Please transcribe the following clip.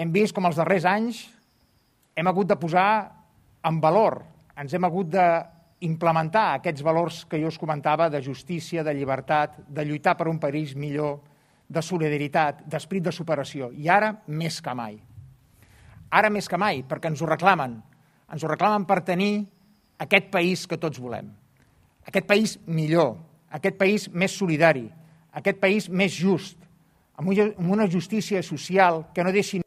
Hem vist com els darrers anys hem hagut de posar en valor, ens hem hagut d'implementar aquests valors que jo us comentava de justícia, de llibertat, de lluitar per un país millor, de solidaritat, d'esperit de superació. I ara més que mai. Ara més que mai, perquè ens ho reclamen. Ens ho reclamen per tenir aquest país que tots volem. Aquest país millor, aquest país més solidari, aquest país més just, amb una justícia social que no deixi